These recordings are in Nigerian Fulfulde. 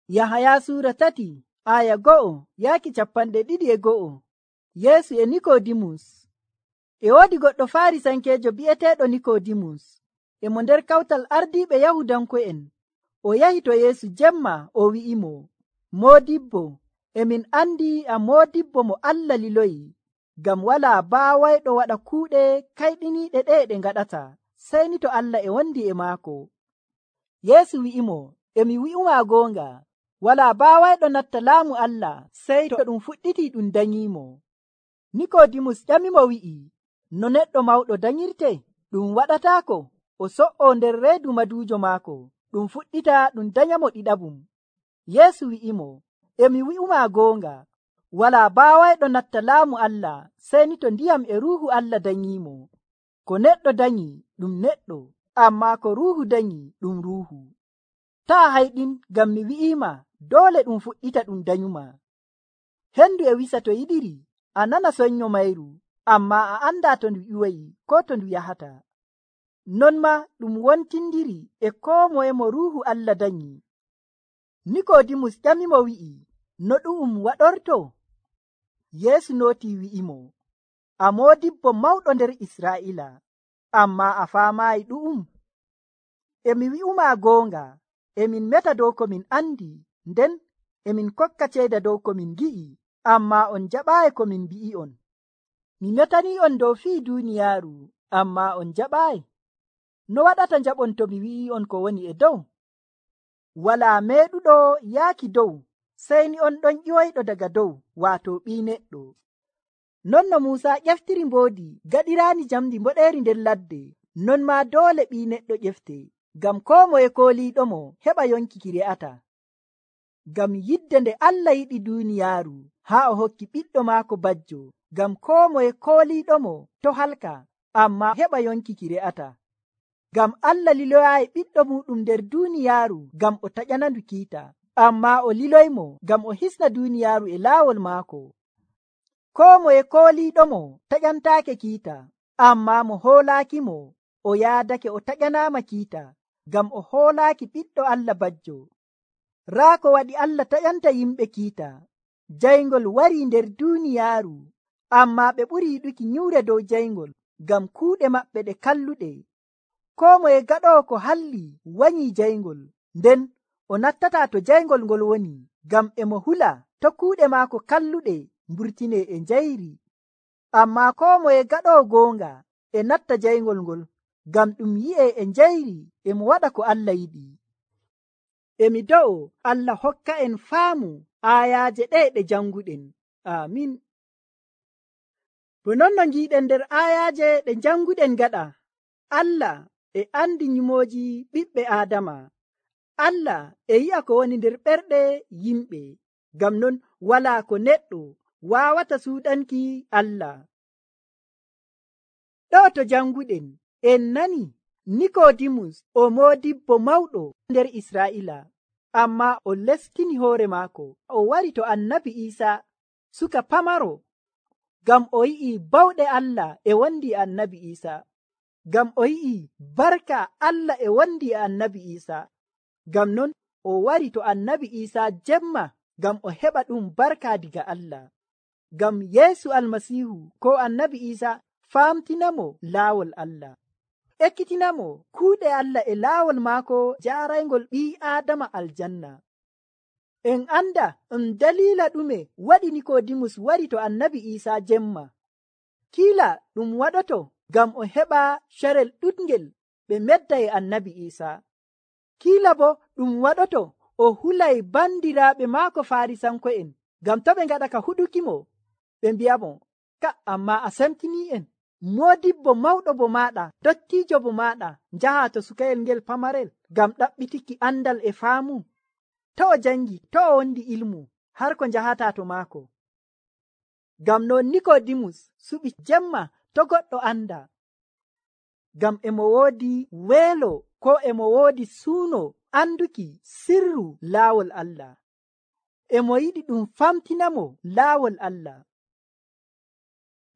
Yahaya Sura 3 aya 1 yaaki 2. Yeesu e Nikodimus. E woodi goɗɗo Farisankeejo bi'eteeɗo Nikodimus, e mo nder kawtal ardiiɓe Yahudanko'en. O yahi to Yeesu jemma, o wi'imo, Moodibbo, emin andi a moodibbo mo Allah liloyi, ngam walaa baawayɗo waɗa kuuɗe kayɗiniiɗe ɗe ɗe ngaɗata, sey ni to Allah e wondi e maako. Yeesu wi'imo, emi wi'umaa goonga, walaa baawayɗo natta laamu Allah sey to ɗum fuɗɗiti ɗum danyiimo. Nikodimus ƴamimo wi'i, no neɗɗo mawɗo danyirte? Ɗum waɗataako o so'o nder reedu maduujo maako, ɗum fuɗɗita ɗum danyamo ɗiɗaɓum. Yeesu wi'imo, emi wi'umaa goonga, walaa baawayɗo natta laamu Allah sey ni to ndiyam e Ruuhu Allah danyiimo. Ko neɗɗo danyi ɗum neɗɗo, ammaa ko Ruuhu danyi ɗum Ruuhu. Taa hayɗin ngam mi wi'iima doole ɗum fuɗɗita ɗum danyuma. Hendu e wisa to yiɗiri, a nana sonnyo mayru, ammaa a andaa to ndu ƴiwoyi ko to ndu yahata. Non ma ɗum wontindiri e koo moye mo Ruuhu Allah danyi. Nikodimus ƴamimo wi'i, no ɗu'um waɗorto? Yeesu nootii wi'imo, a moodibbo mawɗo nder Israa'iila, ammaa a faamaayi ɗu'um. Emi wi'umaa goonga, emin meta dow ko min andi, nden emin kokka ceeda dow ko min gi'i, ammaa on jaɓaayi ko min mbi'i'on. Mi metanii'on dow fii duuniyaaru, ammaa on jaɓaayi. No waɗata njaɓon to mi wi'i'on ko woni e dow? Walaa meeɗuɗo yaaki dow, sey ni on ɗon ƴiwoyɗo daga dow, waato Ɓii Neɗɗo. Non no Muusa ƴeftiri mboodi gaɗiraani jamdi mboɗeeri nder ladde, non maa doole Ɓii Neɗɗo ƴefte, ngam koo moye kooliiɗomo heɓa yonki ki re'ata. Ngam yidde nde Allah yiɗi duuniyaaru, haa o hokki ɓiɗɗo maako bajjo, ngam koo moye kooliiɗomo to halka, ammaa heɓa yonki ki re'ata. Ngam Allah liloyaayi ɓiɗɗo muɗum nder duuniyaaru ngam o taƴanandu kiita, ammaa o liloymo ngam o hisna duuniyaaru e laawol maako. Koo moye kooliiɗomo taƴantaake kiita, ammaa mo hoolaakimo o yaadake o taƴanaama kiita, ngam o hoolaaki ɓiɗɗo Allah bajjo. Raa ko waɗi Allah taƴanta yimɓe kiita, jayngol warii nder duuniyaaru, ammaa ɓe ɓuri yiɗuki nyuure dow jayngol, ngam kuuɗe maɓɓe ɗe kalluɗe. Koo moye gaɗoowo ko halli wanyii jayngol, nden o nattataa to jayngol ngol woni, ngam e mo hula to kuuɗe maako kalluɗe mburtinee e njayri. Ammaa koo moye gaɗoowo goonga e natta jayngol ngol, ngam ɗum yi'ee e njayri e mo waɗa ko Allah yiɗi. Emi do'o Allah hokka en faamu aayaaje ɗe ɗe janguɗen. Amin. Bo non no ngiiɗen nder aayaaje ɗe janguɗen gaɗa, Allah e andi nyumooji ɓiɓɓe Aadama. Allah e yi'a ko woni nder ɓerɗe yimɓe, ngam non walaa ko neɗɗo waawata suuɗanki Allah. Ɗo to janguɗen en nani Nikodimus o moodibbo mawɗo nder Israa'iila, ammaa o lestini hoore maako, o wari to Annabi Iisaa suka pamaro, ngam o yi'i bawɗe Allah e wondi e Annabi Iisaa, ngam o yi'i barka Allah e wondi e Annabi Iisaa. Ngam non o wari to Annabi Iisaa jemma, ngam o heɓa ɗum barka diga Allah. Ngam Yeesu Almasiihu ko Annabi Iisaa faamtinamo laawol Allah, ekkitinamo kuuɗe Allah e laawol maako jaaraygol ɓii Aadama aljanna. En anda dalila ɗume waɗi Nikodimus wari to Annabi Iisaa jemma. Kiila ɗum waɗoto ngam o heɓa carel ɗuɗngel ɓe medda e Annabi Iisaa. Kiila bo ɗum waɗoto o hulay bandiraaɓe maako Farisanko'en, ngam to ɓe ngaɗa ka huɗukimo, ɓe mbi'amo, ka amma a semtini'en, moodibbo mawɗo bo maaɗa, dottiijo bo maaɗa, njaha to sukayel ngel pamarel ngam ɗaɓɓitiki andal e faamu. To o jangi, to o wondi ilmu, har ko njahata to maako. Ngam non Nikodimus suɓi jemma to goɗɗo anda, ngam emo woodi weelo ko emo woodi suuno anduki sirru laawol Allah. Emo yiɗi ɗum famtinamo laawol Allah.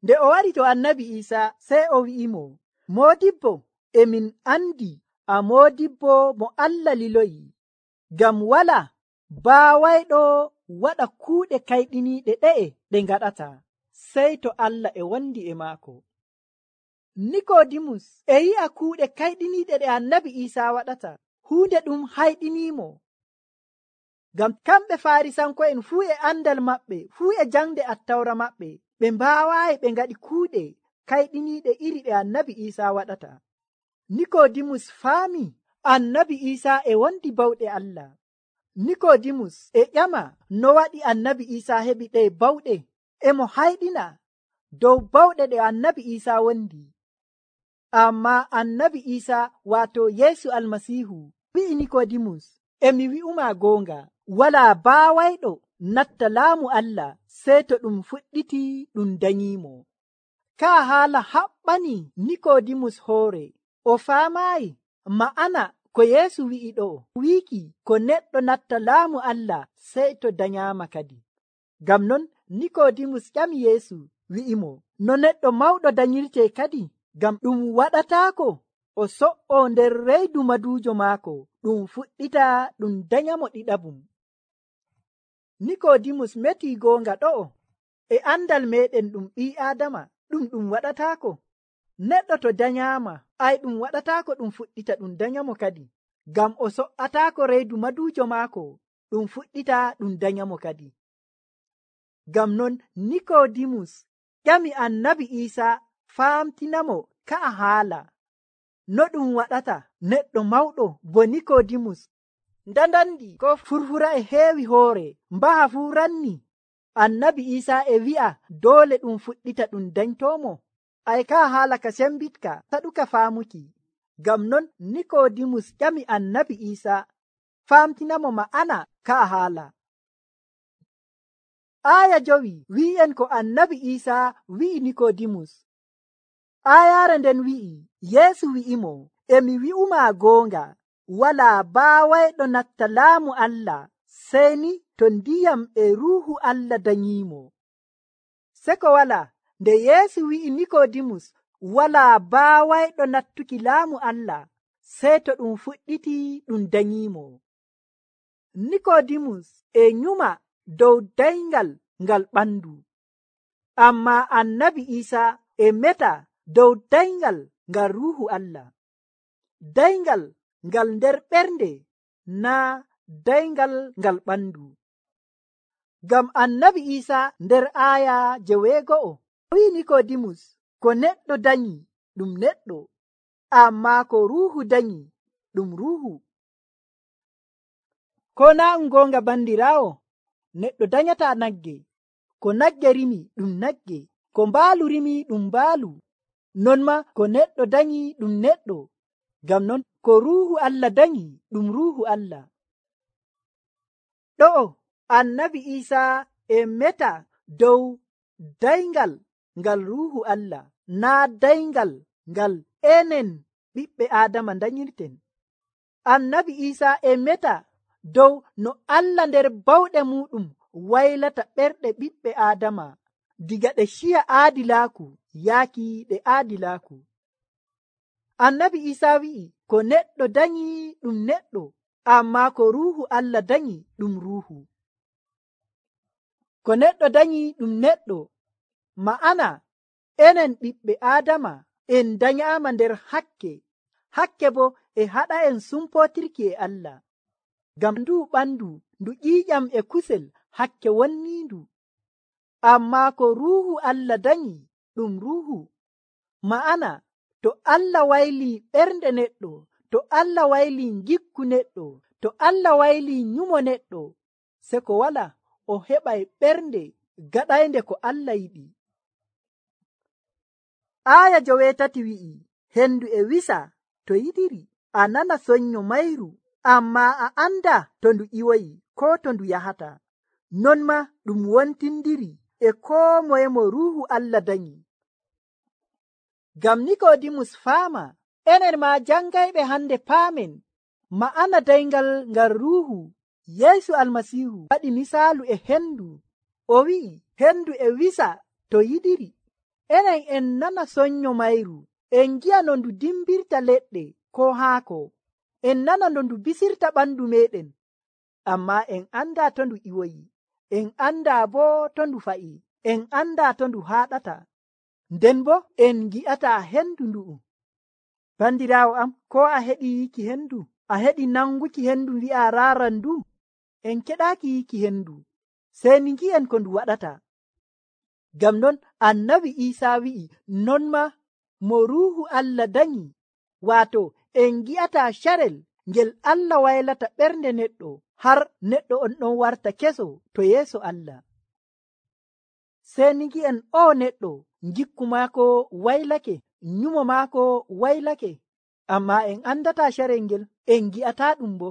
Nde o wari to Annabi Iisaa, sey o wi'imo, Moodibbo, emin andi a moodibbo mo Allah liloyi, ngam wala baawayɗo waɗa kuuɗe kayɗiniiɗe ɗe ngaɗata, sey to Allah e wondi e maako. Nikoodimus e yi'a kuuɗe kayɗiniiɗe ɗe annabi Iisaa waɗata, huunde ɗum hayɗiniimo. Ngam kamɓe Faarisanko'en fuu e andal maɓɓe, fuu e jangde Attawra maɓɓe, ɓe mbaawaayi ɓe ngaɗi kuuɗe kayɗiniiɗe iri ɗe annabi Iisaa waɗata. Nikoodimus faami annabi Iisaa e wondi bawɗe Allah. Nikoodimus e ƴama no waɗi annabi Iisaa heɓi ɗe bawɗe, e mo hayɗina dow bawɗe ɗe annabi Iisaa wondi. Ammaa annabi Iisaa waato Yeesu Almasiihu wi'i Nikoodimus, e mi wi'uma goonga, walaa baawayɗo natta laamu Allah sey to ɗum fuɗɗiti ɗum danyiimo. Kaa haala haɓɓani Nikoodimus hoore, o faamaayi ma'ana ko Yeesu wi'i ɗo, wiiki ko neɗɗo natta laamu Allah sey to danyaama kadi. Ngam non Nikoodimus ƴami Yeesu wi'imo, no neɗɗo mawɗo danyirtee kadi? Ngam ɗum waɗataako o so'o nder reedu maduujo maako ɗum fuɗɗita ɗum danyamo ɗiɗabum. Nikoodimus metii goonga ɗo'o, e andal meɗen ɗum ɓii Aadama ɗum waɗataako. Neɗɗo to danyaama, ɗum waɗataako ɗum fuɗɗita ɗum danyamo kadi, ngam o so'ataako reedu maduujo maako ɗum fuɗɗita ɗum danyamo kadi. Ngam non Nikoodimus ƴami annabi Iisaa faamtinamo ka'a haala no ɗum waɗata neɗɗo mawɗo bo Nikoodimus ndandandi ko furfura e heewi hoore mbaha fuu ranni. Annabi Iisaa e wi'a doole ɗum fuɗɗita ɗum danytoomo. Ka haala ka sembitka saɗuka faamuki. Ngam non Nikoodimus ƴami annabi Iisaa faamtinamo ma'ana ka'a haala. Aaya 5 wi'en ko annabi Iisaa wi'i Nikoodimus. Aayaare nden wi'i, Yeesu wi'imo, e mi wi'uma goonga, walaa baawayɗo natta laamu Allah sey ni to ndiyam e ruuhu Allah danyiimo. Seko wala nde Yeesu wi'i Nikoodimus walaa baawayɗo nattuki laamu Allah sey to ɗum fuɗɗiti ɗum danyiimo. Nikoodimus e nyuma dow dayngal ngal ɓandu, ammaa annabi Iisaa e meta dow dayngal ngal ruuhu Allah, dayngal ngal nder ɓernde naa dayngal ngal ɓandu. Ngam annabi Iisaa nder aaya 9 wi'i Nikoodimus, ko neɗɗo danyi ɗum neɗɗo, ammaa ko ruuhu danyi ɗum ruuhu. Ko naa goonga bandiraawo, neɗɗo danyataa nagge, ko nagge rimi ɗum nagge, ko mbaalu rimi ɗum mbaalu, non ma ko neɗɗo danyi ɗum neɗɗo. Ngam non ko ruuhu Allah danyi ɗum ruuhu Allah. Ɗo'o annabi Iisaa e meta dow dayngal ngal ruuhu Allah, naa dayngal ngal enen ɓiɓɓe Aadama danyirten. Annabi Iisaa e meta dow no Allah nder bawɗe muɗum waylata ɓerɗe ɓiɓɓe Aadama diga ɗe ciya aadilaaku yaaki ɗe aadilaaku. Annabi Iisaa wi'i ko neɗɗo danyi ɗum neɗɗo, ammaa ko ruuhu Allah danyi ɗum ruuhu. Ko neɗɗo danyi ɗum neɗɗo ma'ana enen ɓiɓɓe Aadama en danyaama nder hakke bo e haɗa en sumpootirki e Allah. Ngam ndu ɓandu ndu ƴiiƴam e kusel hakke wonniindu, ammaa ko ruuhu Allah danyi ɗum ruuhu. Ma'ana to Allah waylii ɓernde neɗɗo, to Allah waylii gikku neɗɗo, to Allah waylii nyumo neɗɗo, se ko wala o heɓay ɓernde gaɗaynde ko Allah yiɗi. Aaya 8 wi'i, hendu e wisa to yiɗiri, a nana sonnyo mayru, ammaa a anda to ndu ƴiwoyi ko to ndu yahata. Non ma ɗum wontindiri e koo moye mo ruuhu Allah danyi. Ngam Nikoodimus faama, enen ma jangayɓe hande paamen ma'ana dayngal ngal ruuhu. Yeesu Almasiihu waɗi misaalu e hendu, o wi'i hendu e wisa to yiɗiri. Enen en nana sonnyo mayru, en gi'a no ndu dimbirta leɗɗe ko haako, en nana no ndu bisirta ɓandu meɗen, ammaa en andaa to ndu iwoyi, en andaa boo to ndu fa'i, en andaa to ndu haaɗata, nden bo en gi'ataa hendu ndu'u. Bandiraawo am, ko a heɗi yiki hendu, a heɗi nanguki hendu wi'a raaran ndu? En keɗaaki yiki hendu, sey ni ngi'en ko ndu waɗata. Ngam non annabi Iisaa wi'i non ma mo ruuhu Allah danyi, waato en gi'ataa carel ngel Allah waylata ɓernde neɗɗo har neɗɗo on ɗon warta keso to yeeso Allah. Sey ni ngi'en o neɗɗo ngikku maako waylake, nyumo maako waylake, ammaa en andataa carel ngel, en gi'ataa ɗum bo.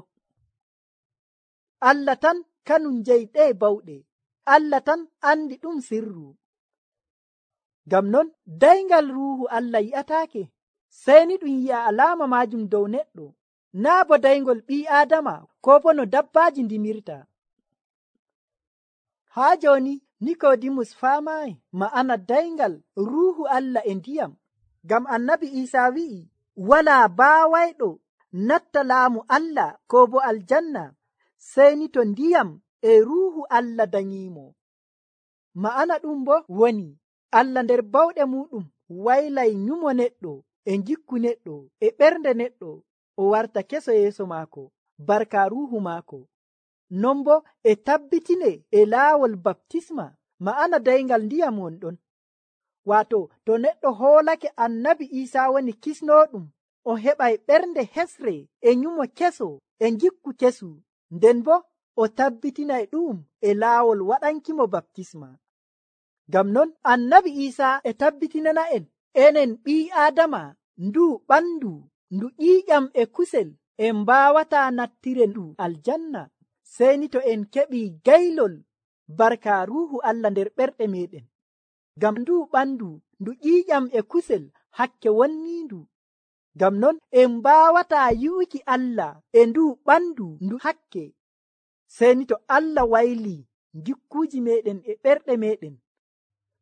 Allah tan kanum jeyɗee bawɗe, Allah tan andi ɗum sirru. Ngam non dayngal ruuhu Allah yi'ataake, sey ni ɗum yi'a alaama maajum dow neɗɗo, naa bo dayngol ɓii aadama ko bo no dabbaaji ndimirta. Haa jooni Nikoodimus faamaayi ma'ana dayngal ruuhu Allah e ndiyam, ngam annabi Iisaa wi'i walaa baawayɗo natta laamu Allah ko bo aljanna sey ni to ndiyam e ruuhu Allah danyiimo. Ma'ana ɗum bo woni Allah nder bawɗe muɗum waylay nyumo neɗɗo e ngikku neɗɗo e ɓernde neɗɗo o warta keso yeeso maako barka ruuhu maako. Non bo e tabbitine e laawol baptisma, ma'ana dayngal ndiyam wonɗon. Waato to neɗɗo hoolake annabi Iisaa woni kisnooɗum, o heɓay ɓernde hesre e nyumo keso e ngikku kesu, nden bo o tabbitinay ɗum e laawol waɗankimo baptisma. Ngam non annabi Iisaa e tabbitinana enen ɓii aadama ndu ɓandu ndu ƴiiƴam e kusel en mbaawataa nattire ndu aljanna, sey ni to en keɓii gaylol barka ruuhu Allah nder ɓerɗe meɗen. Ngam ndu ɓandu ndu ƴiiƴam e kusel hakke wonniindu. Ngam non en mbaawataa yi'uki Allah e ndu ɓandu ndu hakke, sey ni to Allah waylii ngikkuuji meɗen e ɓerɗe meɗen.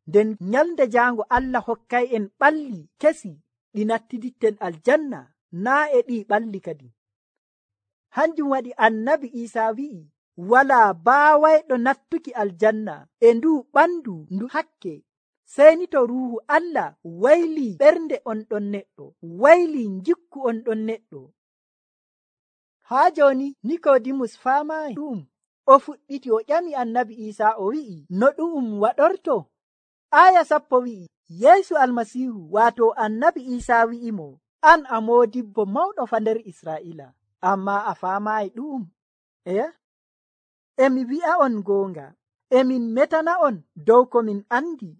Nden nyalnde jaango Allah hokkay en ɓalli kesi ɗi nattiditten aljanna, naa e ɗi ɓalli kadi. Hanjum waɗi annabi Iisaa wi'i walaa baawayɗo nattuki aljanna e ndu ɓandu ndu hakke, sey ni to ruuhu Allah waylii ɓernde on ɗon neɗɗo, waylii ngikku on ɗon neɗɗo. Haa jooni Nikoodimus faamaayi ɗum, o fuɗɗiti o ƴami annabi Iisaa o wi'i no ɗum waɗorto. Aya 10 wi'i Yeesu Almasiihu waato annabi Iisaa wi'imo an a moodibbo mawɗo fa nder Israa'iila, ammaa a faamaayi ɗum. Emi wi'a on goonga, emin metana on dow ko min andi,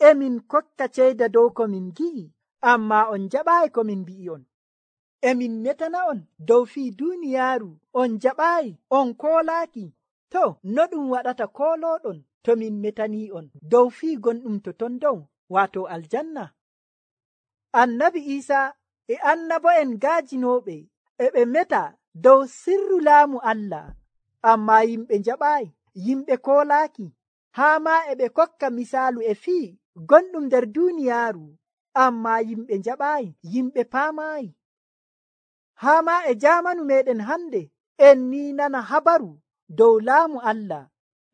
emin kokka ceyda dow ko min gi'i, ammaa on jaɓaayi ko min mbi'i on. Emin metana on dow fii duuniyaaru, on jaɓaayi, on koolaaki. To, no ɗum waɗata koolooɗon to min metanii on dow fii gonɗum to ton dow, waato aljanna? Annabi Iisaa e annabo'en gaajinooɓe e ɓe meta dow sirru laamu Allah, ammaa yimɓe njaɓaayi, yimɓe koolaaki, haa maa e ɓe kokka misaalu e fii gonɗum nder duuniyaaru, ammaa yimɓe njaɓaayi, yimɓe paamaayi. Haa maa e jaamanu meɗen hande en ni nana habaru dow laamu Allah,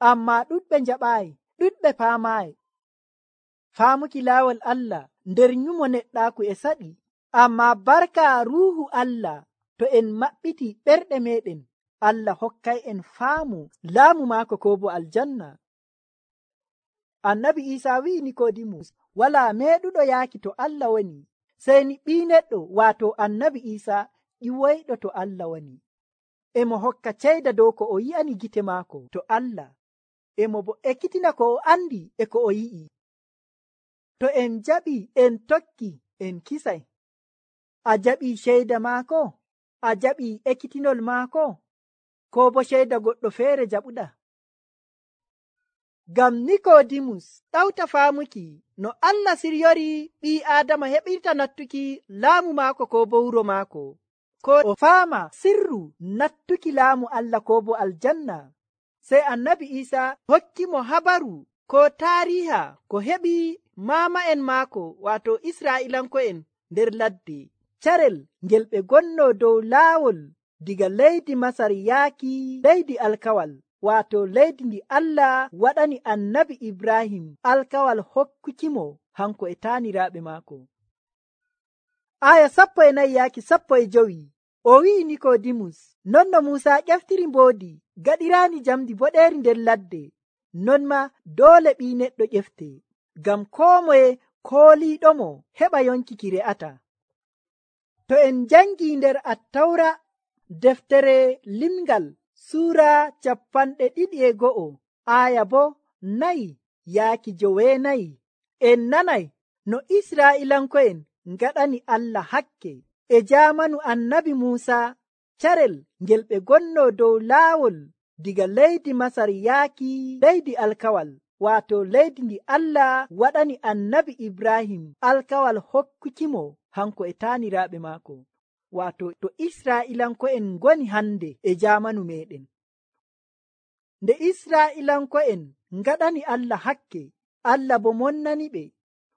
ammaa ɗuɗɓe njaɓaayi, ɗuɗɓe paamaayi. Faamuki laawol Allah nder nyumo neɗɗaaku e saɗi, ammaa barka ruuhu Allah to en maɓɓiti ɓerɗe meɗen, Allah hokkay en faamu laamu maako ko bo aljanna. Annabi Iisaa wi'i Nikoodimus walaa meeɗuɗo yaaki to Allah woni, sey ni ɓii neɗɗo waato annabi Iisaa ƴiwoyɗo to Allah woni. Emo hokka ceyda dow ko o yi'ani gite maako to Allah, emo bo ekkitina ko o andi e ko o yi'i. To en jaɓi en tokki en kisay. A jaɓi ceyda maako? A jaɓi ekkitinol maako? Ko bo ceyda goɗɗo feere jaɓuɗa? Ngam Nikoodimus ɗawta faamuki no Allah siryori ɓii Aadama heɓirta nattuki laamu maako ko bo wuro maako, ko o faama sirru nattuki laamu Allah ko bo aljanna. Sey annabi Iisaa hokkimo habaru ko taariha ko heɓi maama'en maako waato Israa'ilanko'en nder ladde, carel ngel ɓe gonno dow laawol diga leydi Masar yaaki leydi alkawal, waato leydi ndi Allah waɗani annabi Ibrahim alkawal hokkukimo hanko e taaniraaɓe maako. Aya 14 yaaki 15 o wi'i Nikoodimus, non no Muusa ƴeftiri mboodi gaɗiraani jamdi boɗeeri nder ladde, non ma doole ɓii neɗɗo ƴefte, ngam koo moye kooliiɗomo heɓa yonki ki re'ata. To en jangii nder Attawra deftere limngal suura 22 aya bo 4 yaaki 9, en nanay no Israa'iilanko'en ngaɗani Allah hakke e jaamanu annabi Muusa carel ngel ɓe gonno dow laawol diga leydi Masar yaaki leydi alkawal, waato leydi ndi Allah waɗani annabi Ibrahim alkawal hokkukimo hanko e taaniraaɓe maako, waato to Israa'iilanko'en ngoni hande e jaamanu meɗen. Nde Israa'iilanko'en ngaɗani Allah hakke, Allah bo monnani ɓe,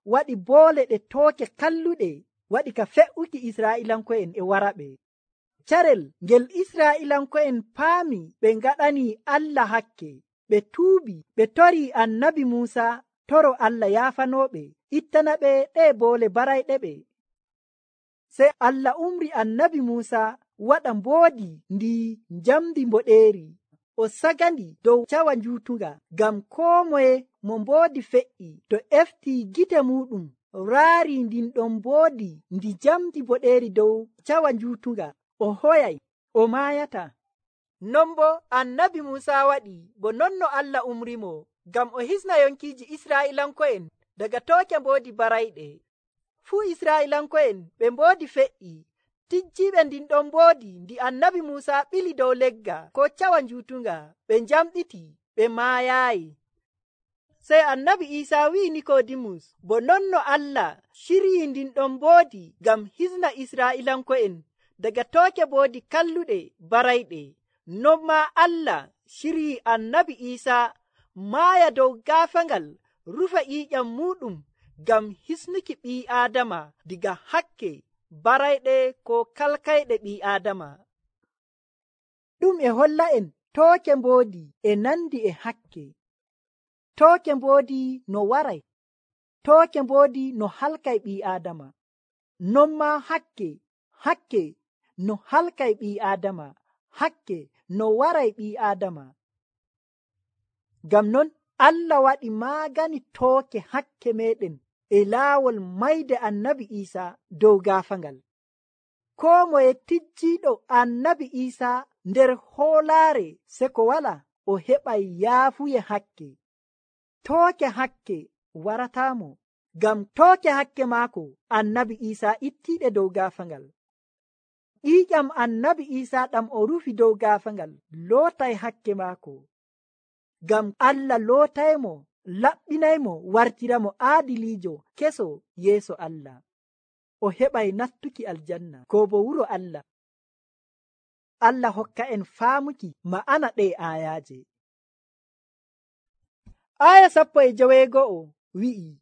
waɗi boole ɗe tooke kalluɗe, waɗi ka fe'uki Israa'iilanko'en e waraɓe. Carel ngel Israa'iilanko'en paami ɓe ngaɗani Allah hakke, ɓe tuubi, ɓe tori annabi Muusa toro Allah yaafanooɓe, ittana ɓe ɗe boole barayɗe ɓe. Sey Allah umri annabi Muusa waɗa mboodi ndi njamdi mboɗeeri, o sagandi dow cawa njuutunga, ngam koo moye mo mboodi fe'i to eftii gite muɗum raari ndin ɗon mboodi ndi jamdi boɗeeri dow cawa njuutunga, o hoyay, o maayata. Non bo annabi Muusa waɗi bo non no Allah umrimo, ngam o hisna yonkiiji Israa'iilanko'en daga tooke mboodi barayɗe. Fuu Israa'iilanko'en ɓe mboodi fe'i, tijjiiɓe ndin ɗon mboodi ndi annabi Muusa ɓili dow legga ko cawa njuutunga, ɓe njamɗiti, ɓe maayaayi. Sey annabi Iisaa wi'i Nikoodimus, bo non no Allah ciryii ndin ɗon mboodi ngam hisna Israa'iilanko'en daga tooke mboodi kalluɗe barayɗe, non maa Allah ciryii annabi Iisaa maaya dow gaafangal rufa ƴiiƴam muɗum ngam hisnuki ɓii Aadama diga hakke barayɗe ko kalkayɗe ɓii Aadama. Ɗum e holla en tooke mboodi e nandi e hakke. Tooke mboodi no waray, tooke mboodi no halkay ɓii Aadama, non maa hakke no halkay ɓii Aadama, hakke no waray ɓii Aadama. Ngam non Allah waɗi maagani tooke hakke meɗen e laawol mayde annabi Iisaa dow gaafangal. Koo moye tijjiiɗo annabi Iisaa nder hoolaare seko wala, o heɓay yaafuye hakke. Tooke hakke warataamo, ngam tooke hakke maako annabi Iisaa ittiiɗe dow gaafangal. Ƴiiƴam annabi Iisaa ɗam o rufi dow gaafangal lootay hakke maako, ngam Allah lootaymo, laɓɓinaymo, wartiramo aadiliijo keso yeeso Allah. O heɓay nattuki aljanna ko bo wuro Allah. Allah hokka en faamuki ma'ana ɗe aayaaje. Aya 15 wi'i,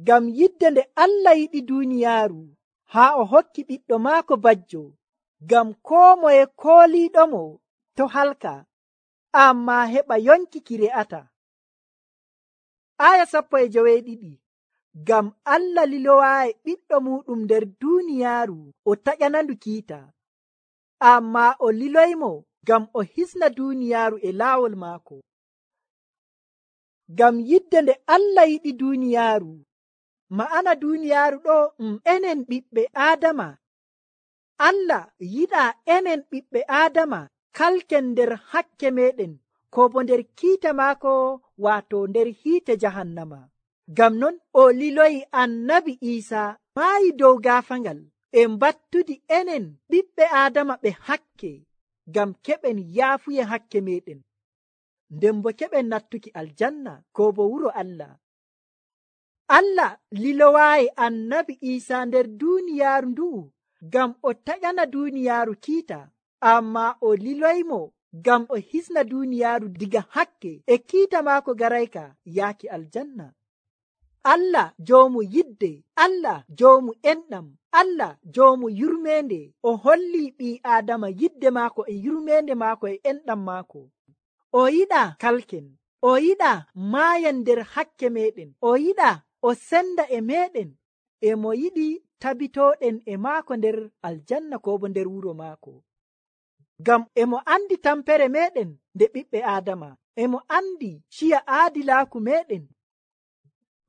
ngam yidde nde Allah yiɗi duuniyaaru haa o hokki ɓiɗɗo maako bajjo, ngam koo moye kooliiɗomo to halka, ammaa heɓa yonki ki re'ata. Aya 12 ngam Allah lilowaayi ɓiɗɗo muɗum nder duuniyaaru o taƴanandu kiita, ammaa o liloymo ngam o hisna duuniyaaru e laawol maako. Ngam yidde nde Allah yiɗi duuniyaaru, ma'ana duuniyaaru ɗo enen ɓiɓɓe Aadama. Allah yiɗaa enen ɓiɓɓe Aadama kalken nder hakke meɗen ko bo nder kiita maako, waato nder hiite jahannama. Ngam non o liloyi annabi Iisaa maayi dow gaafangal e mbattudi enen ɓiɓɓe Aadama ɓe hakke, ngam keɓen yaafuye hakke meɗen, nden bo keɓen nattuki aljanna ko bo wuro Allah. Allah lilowaayi annabi Iisaa nder duuniyaaru ndu'u ngam o taƴana duuniyaaru kiita, ammaa o liloymo ngam o hisna duuniyaaru diga hakke e kiita maako garayka yaaki aljanna. Allah joomu yidde, Allah joomu enɗam, Allah joomu yurmende, o holli ɓii Aadama yidde maako e yurmende maako e enɗam maako. O yiɗa kalken, o yiɗa maayan nder hakke meɗen, o yiɗa o senda e meɗen, e mo yiɗi tabitoɗen e maako nder aljanna ko bo nder wuro maako. Ngam e mo andi tampere meɗen nde ɓiɓɓe Aadama, e mo andi ciya aadilaaku meɗen.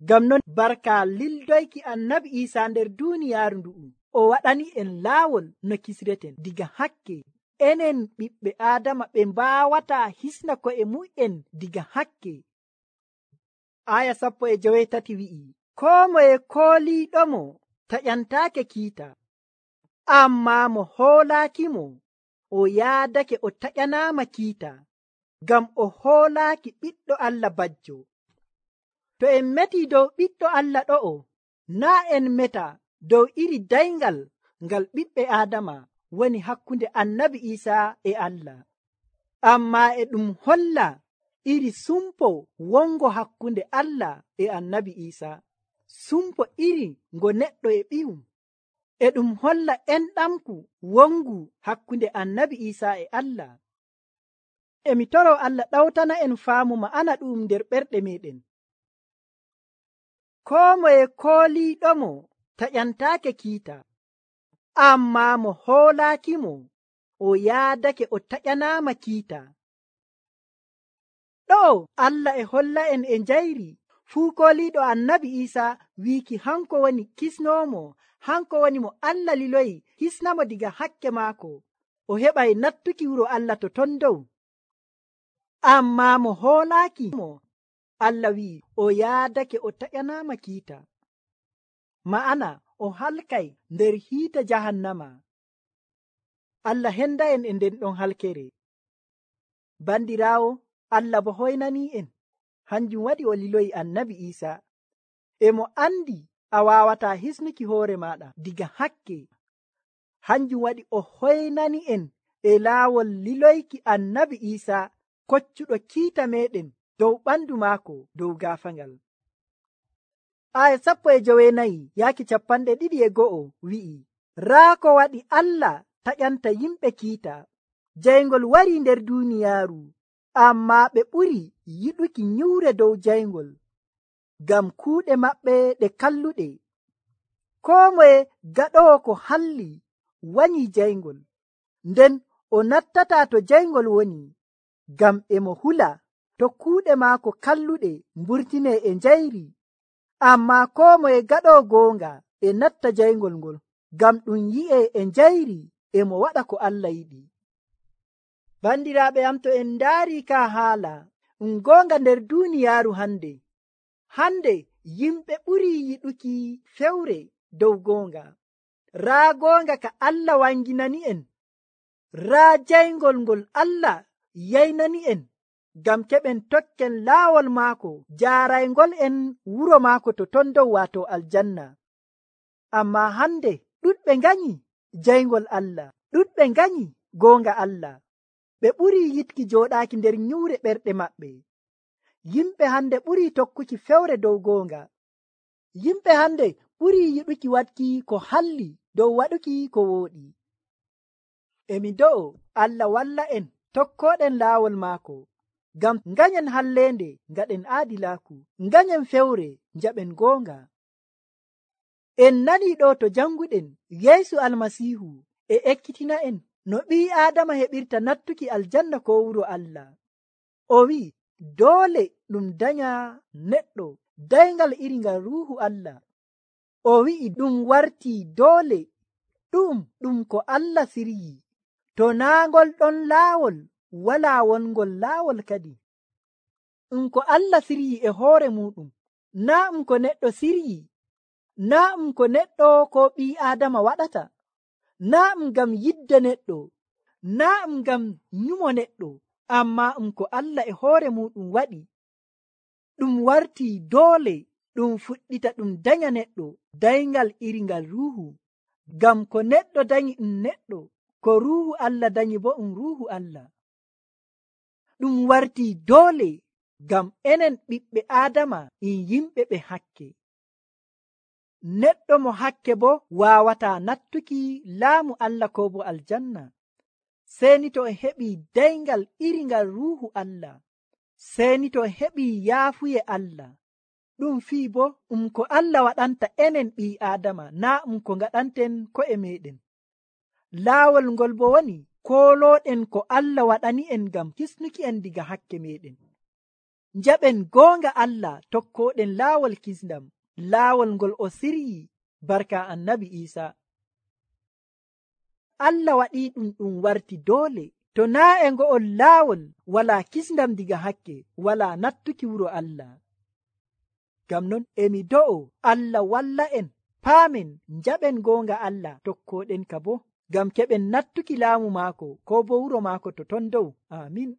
Ngam non barka lildoyki annabi Iisaa nder duuniyaaru ndu'u, o waɗani en laawol no kisreten diga hakke. Enen ɓiɓɓe Aadama ɓe mbaawata hisna ko'e mu'en diga hakke. Aya 13 wi'i, koo moye kooliiɗomo taƴantaake kiita, ammaa mo hoolaakimo o yaadake o taƴanaama kiita, ngam o hoolaaki ɓiɗɗo Allah bajjo. To en metii dow ɓiɗɗo Allah ɗo'o, naa en meta dow iri dayngal ngal ɓiɓɓe Aadama woni hakkunde annabi Iisaa e Allah, ammaa e ɗum holla iri sumpo wongo hakkunde Allah e annabi Iisaa, sumpo iri ngo neɗɗo e ɓiyum. E ɗum holla enɗamku wongu hakkunde annabi Iisaa e Allah. Emi toro Allah ɗawtana en faamu ma'ana ɗum nder ɓerɗe meɗen. Koo moye kooliiɗomo taƴantaake kiita, ammaa mo hoolaakimo o yaadake o taƴanaama kiita. Ɗo Allah e holla en e njayri fuu kooliiɗo annabi Iisaa wiiki hanko woni kisnoomo, hanko woni mo Allah liloyi hisnamo diga hakke maako, o heɓay nattuki wuro Allah to ton dow. Ammaa mo hoolaaki mo, Allah wi'i o yaadake o taƴanaama kiita, ma'ana o halkay nder hiite jahannama. Allah henda en e nden ɗon halkere. Bandiraawo, Allah bo hoynanii en, hanjum waɗi o liloyi annabi Iisaa. E mo andi a waawataa hisnuki hoore maaɗa diga hakke, hanjum waɗi o hoynani en e laawol liloyki annabi Iisaa koccuɗo kiita meɗen dow ɓandu maako dow gaafangal. Aya 14 yaaki 21 wi'i, raa ko waɗi Allah taƴanta yimɓe kiita, jayngol wari nder duuniyaaru, ammaa ɓe ɓuri yiɗuki nyuure dow jayngol, ngam kuuɗe maɓɓe ɗe kalluɗe. Koo moye gaɗowo ko halli wanyi jayngol, nden o nattataa to jayngol woni, ngam e mo hula to kuuɗe maako kalluɗe mburtine e njayri. Ammaa koo moye gaɗowo goonga e natta jayngol ngol, ngam ɗum yi'e e njayri e mo waɗa ko Allah yiɗi. Bandiraaɓe am, to en ndaari ka haala goonga nder duuniyaaru hande yimɓe ɓuri yiɗuki fewre dow goonga. Raa goonga ka Allah wanginani en, raa jayngol ngol Allah yaynani en, ngam keɓen tokken laawol maako jaaraygol en wuro maako to ton dow waato aljanna. Ammaa hande ɗuɗɓe nganyi jayngol Allah, ɗuɗɓe nganyi goonga Allah, ɓe ɓuri yiɗki jooɗaaki nder nyuure ɓerɗe maɓɓe. Yimɓe hande ɓuri tokkuki fewre dow goonga. Yimɓe hande ɓuri yiɗuki waɗki ko halli dow waɗuki ko wooɗi. Emi do'o Allah walla en tokkoɗen laawol maako, ngam nganyen hallende ngaɗen aadilaaku, nganyen fewre njaɓen goonga. En nani ɗo to janguɗen Yeesu Almasiihu e ekkitina en no ɓii Aadama heɓirta nattuki aljanna ko wuro Allah. O wi'i doole ɗum danya neɗɗo dayngal iri ngal ruuhu Allah. O wi'i ɗum wartii doole, ɗum ko Allah siryi. To naa ngol ɗon laawol, walaa wongol laawol kadi. Ko Allah siryi e hoore muɗum, naa ko neɗɗo siryi, naa ko neɗɗo ko ɓii Aadama waɗata, naa ngam yidde neɗɗo, naa ngam nyumo neɗɗo, amma ko Allah e hoore muɗum waɗi. Ɗum wartii doole ɗum fuɗɗita ɗum danya neɗɗo dayngal iri ngal ruuhu, ngam ko neɗɗo danyi neɗɗo, ko ruuhu Allah danyi bo ruuhu Allah. Ɗum wartii doole ngam enen ɓiɓɓe Aadama yimɓe ɓe hakke. neɗɗo mo hakke bo waawataa nattuki laamu Allah ko bo aljanna. Seni to en heɓii dayngal iri ngal ruuhu Allah, seni to en heɓii yaafuye Allah. Ɗum fii bo ko Allah waɗanta enen ɓii Aadama, naa ko ngaɗanten ko'e meɗen. Laawol ngol bo woni koolooɗen ko Allah waɗani en ngam kisnuki en diga hakke meɗen. Njaɓen goonga Allah tokkooɗen laawol kisndam, laawol ngol o siryi barka Annabi Iisa. Allah waɗii ɗum warti doole. To naa e ngo'ol laawol walaa kisndam diga hakke, walaa nattuki wuro Allah. Ngam non emi do'o Allah walla en paamen njaɓen goonga Allah tokkooɗen ka bo, ngam keɓen nattuki laamu maako ko bo wuro maako to ton dow. Amin.